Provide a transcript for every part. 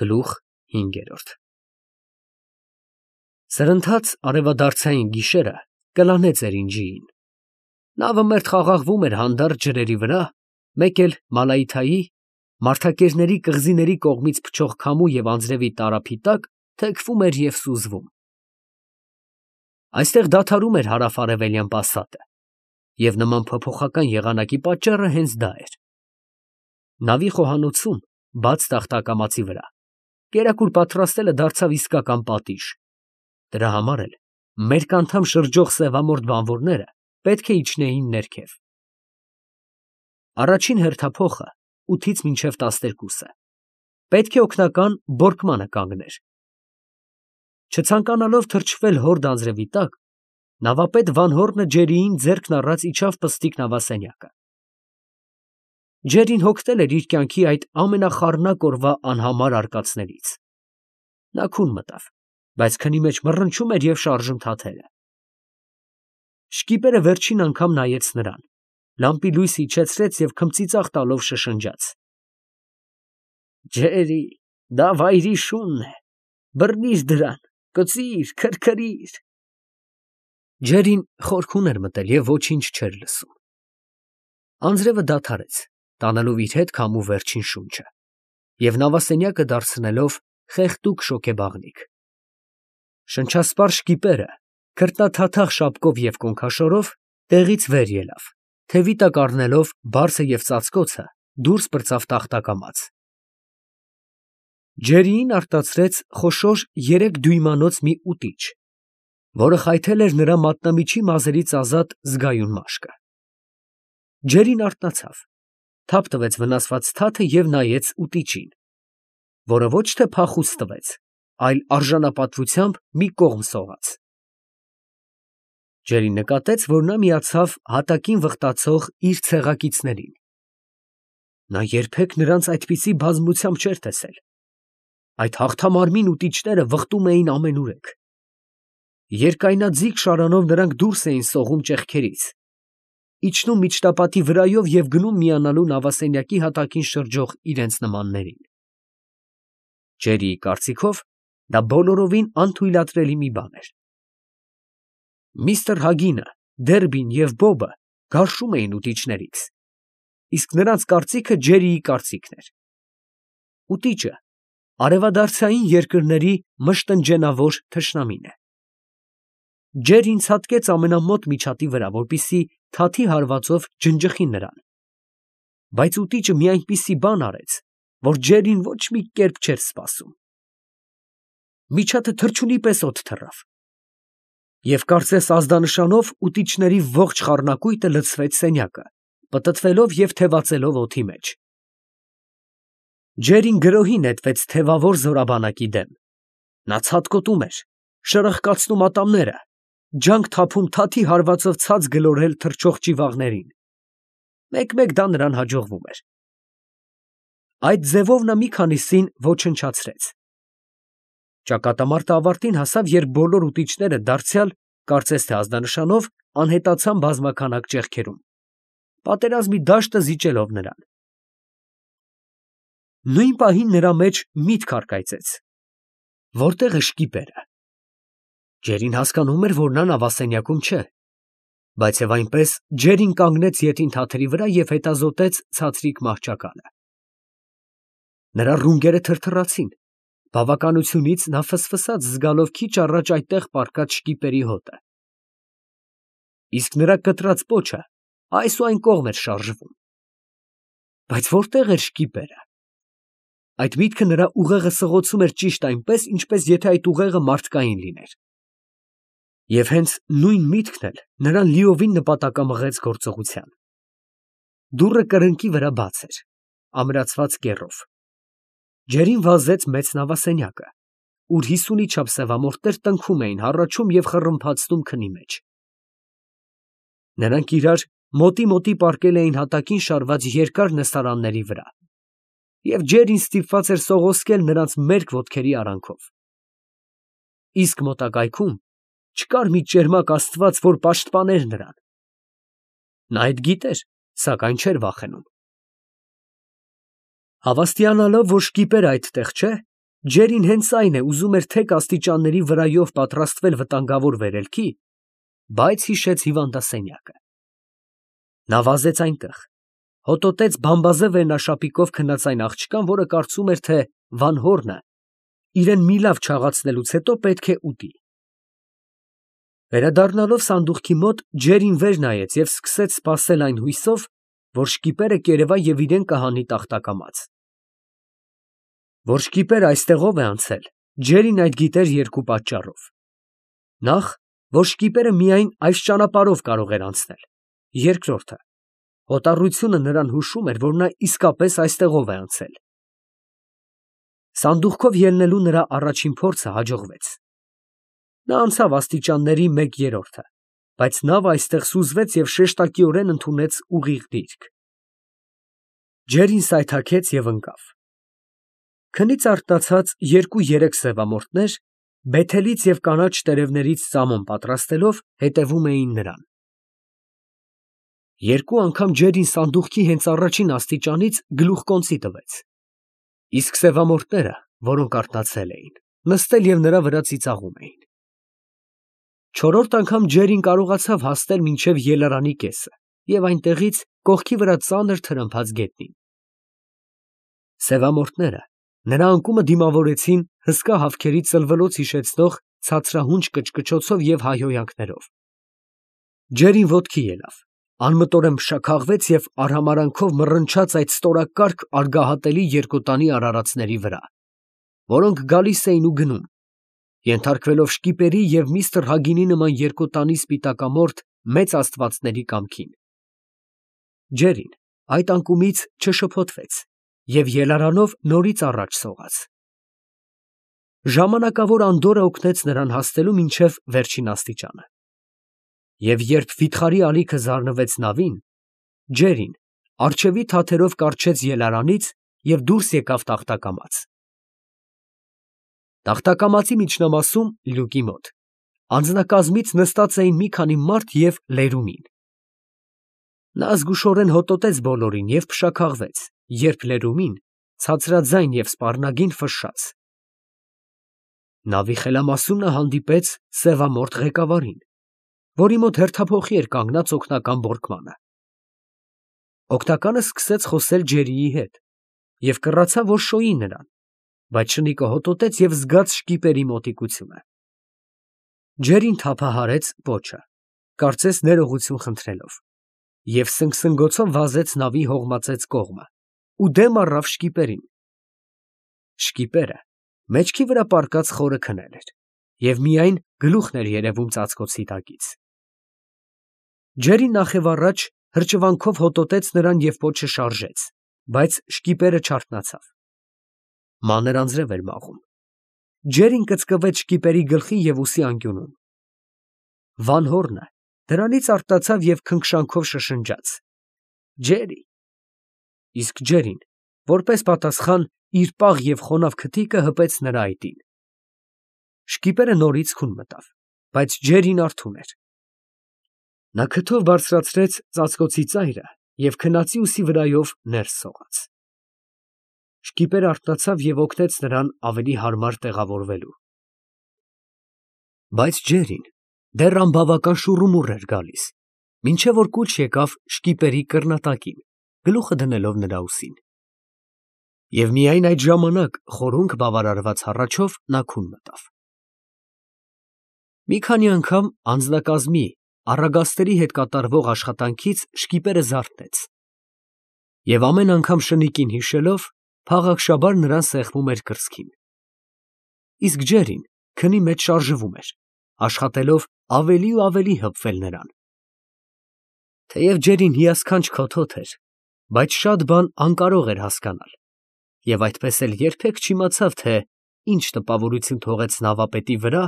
Գլուխ 5 Սրընթաց արևադարձային գիշերը կլանեց Էրինջիին։ Նավը մերթ խաղաղվում էր հանդարտ ջրերի վրա, մեկ էլ Մալայիթայի մարդակերների կղզիների կողմից փչող քամու և անձրևի տարափի տակ թեքվում էր և սուզվում։ Այստեղ դադարում էր հարավ֊արևելյան պասատը, և նման փոփոխական եղանակի պատճառը հենց դա էր։ Նավի խոհանոցում, բաց տախտակամածի վրա, կերակուր պատրաստելը դարձավ իսկական պատիժ։ Դրա համար էլ մերկ անդամ շրջող սևամորթ բանվորները պետք է իջնեին ներքև։ Առաջին հերթափոխը 8-ից մինչև 12-ը պետք է օգնական բորկմանը կանգներ։ Չցանկանալով թրջվել հորդ անձրևի տակ, նավապետ Վանհոռնը ջերիին ձեռքն առած իջավ պստիկ նավասենյակը։ Ջերին հոգնել էր իր կյանքի այդ ամենախառնակ օրվա անհամար արկածներից։ Նա քուն մտավ, բայց քնի մեջ մռնչում էր և շարժում թաթերը։ Շկիպերը վերջին անգամ նայեց նրան, լամպի լույսը իջեցրեց և քմծիծաղ տալով շշնջաց. «Ջերի, դա վայրի շունն է, բռնիր դրան, կծիր, քրքրիր»։ Ջերին խորքուն էր մտել և ոչինչ չէր լսում։ Անձրևը դադարեց, տանելով իր հետ քամու վերջին շունչը և նավասենյակը դարձնելով խեղդուկ շոգեբաղնիք։ Շնչասպառ շկիպերը քրտնաթաթախ շապկով և կոնքաշորով տեղից վեր ելավ, թևի տակ առնելով բարձը և ծածկոցը դուրս պրծավ տախտակամաց։ Ջերիին արտացրեց խոշոր 3 դույմանոց մի ուտիչ, որը խայթել էր նրա մատնամիջի մազերից ազատ զգայուն մաշկը։ Ջերին արթնացավ, թափ տվեց վնասված թաթը և նայեց ուտիչին, որը ոչ թե փախուստ տվեց, այլ արժանապատվությամբ մի կողմ սողաց։ Ջերին նկատեց, որ նա միացավ հատակին վխտացող իր ցեղակիցներին։ Նա երբեք նրանց այդպիսի բազմությամբ չէր տեսել։ Այդ հաղթամարմին ուտիչները վխտում էին ամենուրեք։ Երկայնաձիգ շարանով նրանք դուրս էին սողում ճեղքերից, իջնում միջտապատի վրայով և գնում միանալու նավասենյակի հատակին շրջող իրենց նմաններին։ Ջերիի կարծիքով դա բոլորովին անթույլատրելի մի բան էր։ Միստր Հագինը, Դերբին և Բոբը գարշում էին ուտիչներից, իսկ նրանց կարծիքը Ջերիի կարծիքն էր։ Ուտիչը արևադարձային երկրների մշտնջենավոր թշնամին է։ Ջերին ցատկեց ամենամոտ միջատի վրա, որպեսզի թաթի հարվածով ջնջխի նրան, բայց ուտիչը մի այնպիսի բան արեց, որ Ջերին ոչ մի կերպ չէր սպասում։ Միջատը թռչունի պես օդ թռավ, և կարծես ազդանշանով ուտիչների ողջ խառնակույտը լցվեց սենյակը, պտտվելով և թևածելով օդի մեջ։ Ջերին գրոհի նետվեց թևավոր զորաբանակի դեմ։ Նա ցատկոտում էր, շրխկացնում ատամները, ջանք թափում թաթի հարվածով ցած գլորել թռչող ճիվաղներին։ Մեկ֊մեկ դա նրան հաջողվում էր։ Այդ ձևով նա մի քանիսին ոչնչացրեց։ Ճակատամարտը ավարտին հասավ, երբ բոլոր ուտիչները դարձյալ, կարծես թե ազդանշանով, անհետացան բազմաքանակ ճեղքերում, պատերազմի դաշտը զիջելով նրան։ Նույն պահին նրա մեջ միտք առկայծեց. որտե՞ղ է շկիպերը։ Ջերին հասկանում էր, որ նա նավասենյակում չէ, բայց և այնպես Ջերին կանգնեց ետին թաթերի վրա և հետազոտեց ցածրիկ մահճակալը։ Նրա ռունգերը թրթռացին, բավականությունից նա ֆսֆսաց զգալով քիչ առաջ այդտեղ պառկած շկիպերի հոտը։ Իսկ նրա կտրած պոչը այս ու այն կողմ էր շարժվում։ Բայց որտե՞ղ էր շկիպերը։ Այդ միտքը նրա ուղեղը սղոցում էր ճիշտ այնպես, ինչպես եթե այդ ուղեղը մարդկային լիներ։ Եվ հենց նույն միտքն էլ նրան լիովին նպատակամղեց գործողության։ Դուռը կրկնակի վրա բաց էր, ամրացված կեռով։ Ջերին վազեց մեծ նավասենյակը, ուր 50-ի չափ սևամորթներ տնքում էին, հառաչում և խռմփացնում քնի մեջ։ Նրանք իրար մոտի պառկել էին հատակին շարված երկար նստարանների վրա, և Ջերին ստիպված էր սողոսկել նրանց մերկ ոտքերի արանքով։ Իսկ մոտակայքում չկար մի ճերմակ աստված, որ պաշտպաներ նրան։ Նա այդ գիտեր, սակայն չէր վախենում։ Հավաստիանալով, որ շկիպերը այդտեղ չէ, Ջերին հենց այն է, ուզում էր թեք աստիճանների վրայով պատրաստվել վտանգավոր վերելքի, բայց հիշեց հիվանդասենյակը։ Նա վազեց այնտեղ, հոտոտեց բամբազե վերնաշապիկով քնած այն աղջկան, որը կարծում էր, թե Վան Հորնը իրեն մի լավ չաղացնելուց հետո պետք է ուտի։ Վերադառնալով սանդուղքի մոտ, Ջերին վեր նայեց և սկսեց սպասել այն հույսով, որ շկիպերը կերևա և իրան կհանի տախտակամաց։ Որ շկիպերը այստեղով է անցել, Ջերին այդ գիտեր երկու պատճառով. նախ, որ շկիպերը միայն այս ճանապարհով կարող էր անցնել, երկրորդը, հոտառությունը նրան հուշում էր, որ նա իսկապես այստեղով է անցել։ Սանդուղքով ելնելու նրա առաջին փորձը հաջողվեց։ Նա անցավ աստիճանների 1/3, բայց նավը այստեղ սուզվեց և շեշտակիորեն ընդունեց ուղիղ դիրք։ Ջերին սայթաքեց և ընկավ։ Քնից արթնացած 2-3 սևամորթներ, բեթելից և կանաչ տերևներից սամոն պատրաստելով, հետևում էին նրան։ Երկու անգամ Ջերին սանդուղքի հենց առաջին աստիճանից գլուխկոնծի տվեց, իսկ սևամորթները, որոնք արթնացել էին, նստել և նրա վրա ծիծաղում էին։ Չորրորդ անգամ Ջերին կարողացավ հասնել մինչև ելարանի կեսը և այնտեղից կողքի վրա ծանր թրմփաց գետնին։ Սևամորթները նրա անկումը դիմավորեցին հսկա հավքերի ծլվելոց հիշեցնող ցածրահունչ կչկչոցով և հայհոյանքներով։ Ջերին ոտքի ելավ, անմտորեն փշաքաղվեց և արհամարանքով մռնչաց այդ ստորակարգ արգահատելի երկոտանի արարածների վրա, որոնք գալիս էին ու գնում, ենթարկվելով շկիպերի և միստր Հագինի նման երկոտանի սպիտակամորթ մեծ աստվածների կամքին։ Ջերին այդ անկումից չշփոթվեց և ելարանով նորից առաջ սողաց։ Ժամանակավոր անդորրը օգնեց նրան հասնելու մինչև վերջին աստիճանը։ Եվ երբ վիթխարի ալիքը զարնվեց նավին, Ջերին առջևի թաթերով կառչեց ելարանից և դուրս եկավ տախտակամաց։ Տախտակամածի միջնամասում, լյուկի մոտ, անձնակազմից նստած էին մի քանի մարդ և լերումին։ Նա զգուշորեն հոտոտեց բոլորին և փշաքաղվեց, երբ լերումին ցածրաձայն և սպառնագին ֆշշաց։ Նավի խելամասում նա հանդիպեց սևամորթ ղեկավարին, որի մոտ հերթափոխի էր կանգնած օգնական բորկմանը։ Օգնականը սկսեց խոսել Ջերիի հետ և կռացավ, որ շոյի նրան, բայց շնիկը հոտոտեց և զգաց շկիպերի մոտիկությունը։ Ջերին թափահարեց պոչը, կարծես ներողություն խնդրելով, և սնգսնգոցով վազեց նավի հողմածեց կողմը ու դեմ առավ շկիպերին։ Շկիպերը մեջքի վրա պառկած խորը քնել էր և միայն գլուխն էր երևում ծածկոցի տակից։ Ջերին նախևառաջ հրճվանքով հոտոտեց նրան և պոչը շարժեց, բայց շկիպերը չարթնացավ։ Մանր անձրև էր մաղում։ Ջերին կծկվեց շկիպերի գլխի և ուսի անկյունում։ Վան Հորնը դրանից արթնացավ և քնքշանքով շշնջաց. «Ջերի»։ Իսկ Ջերին, որպես պատասխան, իր պաղ և խոնավ քթիկը հպեց նրա այտին։ Շկիպերը նորից քուն մտավ, բայց Ջերին արթուն էր։ Նա քթով բարձրացրեց ծածկոցի ծայրը և քնածի ուսի վրայով ներս սողաց։ Շկիպերը արթնացավ և օգնեց նրան ավելի հարմար տեղավորվելու։ Բայց Ջերին դեռ անբավական շուռումուռ էր գալիս, մինչև որ կուչ եկավ շկիպերի կռնատակին, գլուխը դնելով նրա ուսին։ Եվ միայն այդ ժամանակ խորունկ բավարարված հառաչով նա քուն մտավ։ Մի քանի անգամ անձնակազմի առագաստերի հետ կատարվող աշխատանքից շկիպերը զարթնեց, և ամեն անգամ շնիկին հիշելով, փաղաքշաբար նրան սեղմում էր կրծքին։ Իսկ Ջերին քնի մեջ շարժվում էր, աշխատելով ավելի ու ավելի հպվել նրան։ Թեև Ջերին հիասքանչ քոթոտ էր, բայց շատ բան անկարող էր հասկանալ, և այդպես էլ երբեք չիմացավ, թե ինչ տպավորություն թողեց նավապետի վրա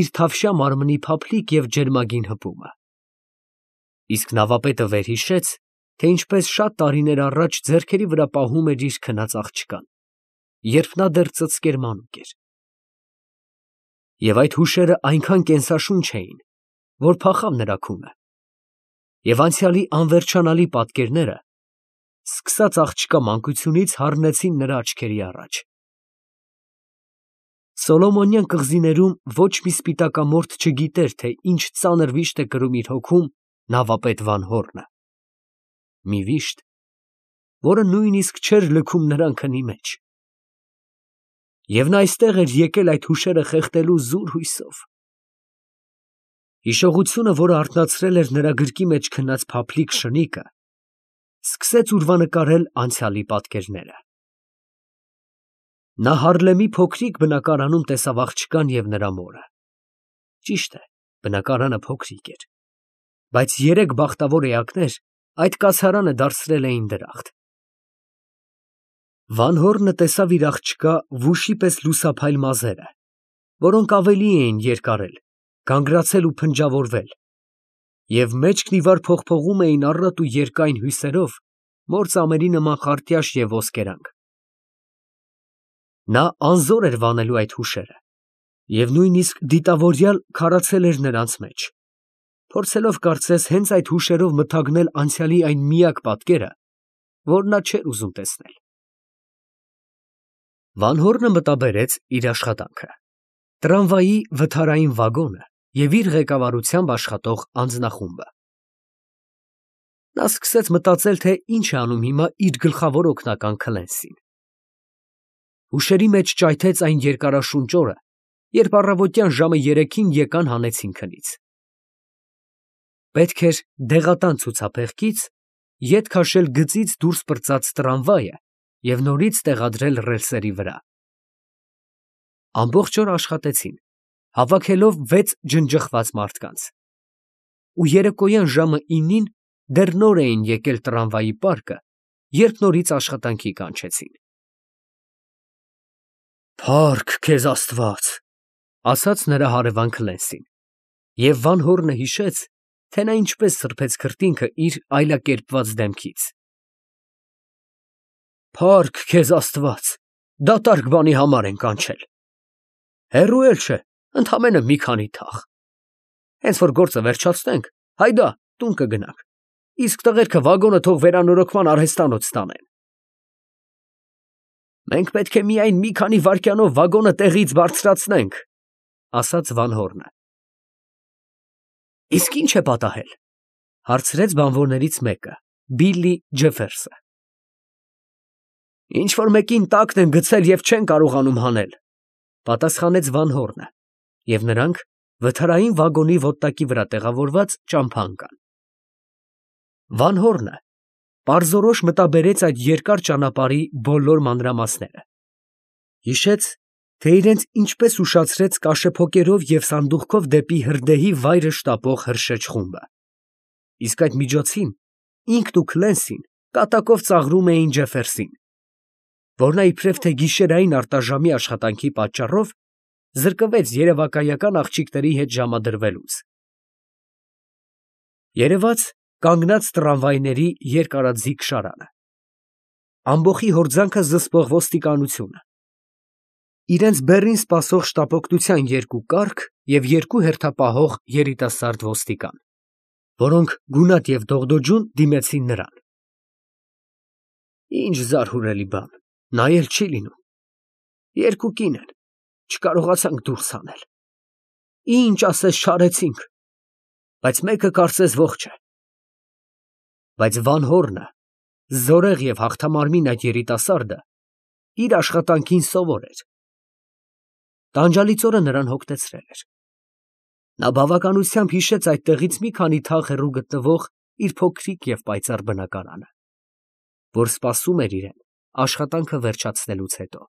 իր թավշյա մարմնի փափլիկ և ջերմագին հպումը։ Իսկ նավապետը վերհիշեց, թե ինչպես շատ տարիներ առաջ ձեռքերի վրա պահում էր իր քնած աղջկան, երբ նա դեռ ծծկեր մանուկ էր։ Եվ այդ հուշերը այնքան կենսաշունչ էին, որ փախավ նրա քունը, և անցյալի անվերջանալի պատկերները, սկսած աղջկա մանկությունից, հառնեցին նրա աչքերի առաջ։ Սոլոմոնյան կղզիներում ոչ մի սպիտակամորթ չգիտեր, թե ինչ ծանր վիշտ է կրում իր հոգում նավապետ Վանհոռնը։ Մի վիշտ, որը նույնիսկ չէր լքում նրան քնի մեջ։ Եվ նա այստեղ էր եկել այդ հուշերը խեղդելու զուր հույսով։ Հիշողությունը, որը արթնացրել էր նրա գրկի մեջ քնած փափլիկ շնիկը, սկսեց ուրվանկարել անցյալի պատկերները։ Նա Հարլեմի փոքրիկ բնակարանում տեսավ աղջկան և նրա մորը։ Ճիշտ է, բնակարանը փոքրիկ էր, բայց երեք բախտավոր էակներ այդ կացարանը դարձրել էին դրախտ։ Վանհոռնը տեսավ իր աղջկա վուշի պես լուսափայլ մազերը, որոնք ավելի էին երկարել, գանգրացել ու փնջավորվել, և մեջքն ի վար փողփողում էին առատ ու երկայն հյուսերով, մոր ծամերի նման խարտյաշ և ոսկերանք։ Նա անզոր էր վանելու այդ հուշերը և նույնիսկ դիտավորյալ քարացել էր նրանց մեջ, փորձելով կարծես հենց այդ հուշերով մթագնել անցյալի այն միակ պատկերը, որ նա չէր ուզում տեսնել։ Վանհոռնը մտաբերեց իր աշխատանքը, տրամվայի վթարային վագոնը և իր ղեկավարությամբ աշխատող անձնախումբը։ Նա սկսեց մտածել, թե ինչ է անում հիմա իր գլխավոր օգնական Քլենսին։ Հուշերի մեջ ճայթեց այն երկարաշունչ օրը, երբ առավոտյան ժամը 3-ին եկան հանեցին քնից։ Պետք էր դեղատան ցուցափեղկից ետ քաշել գծից դուրս պրծած տրամվայը և նորից տեղադրել ռելսերի վրա։ Ամբողջ օր աշխատեցին, հավաքելով 6 ջնջխված մարդկանց, ու երեկոյան ժամը 9-ին դեռ նոր էին եկել տրամվայի պարկը, երբ նորից աշխատանքի կանչեցին։ «Փա՜ռք քեզ Աստված», ասաց նրա հարևան Քլենսին, և Վանհոռնը հիշեց, թե նա ինչպես սրբեց քրտինքը իր այլակերպված դեմքից։ «Փա՜ռք քեզ Աստված, դատարկ բանի համար են կանչել։ Հեռու էլ չէ, ընդամենը մի քանի թաղ։ Հենց որ գործը վերջացնենք, հայդա, տուն կգնանք, իսկ տղերքը վագոնը թող վերանորոգման արհեստանոց տանեն»։ «Մենք պետք է միայն մի քանի վայրկյանով վագոնը տեղից բարձրացնենք», ասաց Վանհոռնը։ «Իսկ ի՞նչ է պատահել», հարցրեց բանվորներից մեկը, Բիլլի Ջեֆերսը։ «Ինչ֊որ մեկին տակն են գցել և չեն կարողանում հանել», պատասխանեց Վանհոռնը, և նրանք վթարային վագոնի ոտտակի վրա տեղավորված ճամփա ընկան։ Վանհոռնը պարզորոշ մտաբերեց այդ երկար ճանապարհի բոլոր մանրամասները։ Հիշեց, թե իրենց ինչպես ուշացրեց կաշեփոկերով և սանդուղքով դեպի հրդեհի վայրը շտապող հրշեջ խումբը։ Իսկ այդ միջոցին ինքն ու Քլենսին կատակով ծաղրում էին Ջեֆերսին, որ նա իբրև թե գիշերային արտաժամի աշխատանքի պատճառով զրկվեց երևակայական աղջիկների հետ ժամադրվելուց։ Երևաց կանգնած տրամվայների երկարաձիգ շարանը, ամբոխի հորձանքը զսպող ոստիկանությունը, իրենց բեռին սպասող շտապօգնության 2 կառք և 2 հերթապահող երիտասարդ ոստիկան, որոնք գունատ և դողդոջուն դիմեցին նրան։ «Ինչ զարհուրելի բան, նայել չի լինում, 2 կին են, չկարողացանք դուրս հանել, ինչ ասես չարեցինք, բայց մեկը կարծես ողջ է»։ Բայց Վանհոռնը, զորեղ և հաղթամարմին այդ երիտասարդը, իր աշխատանքին սովոր էր։ Տանջալից օրը նրան հոգնեցրել էր։ Նա բավականությամբ հիշեց այդտեղից մի քանի թաղ հեռու գտնվող իր փոքրիկ և պայծառ բնակարանը, որ սպասում էր իրեն աշխատանքը վերջացնելուց հետո։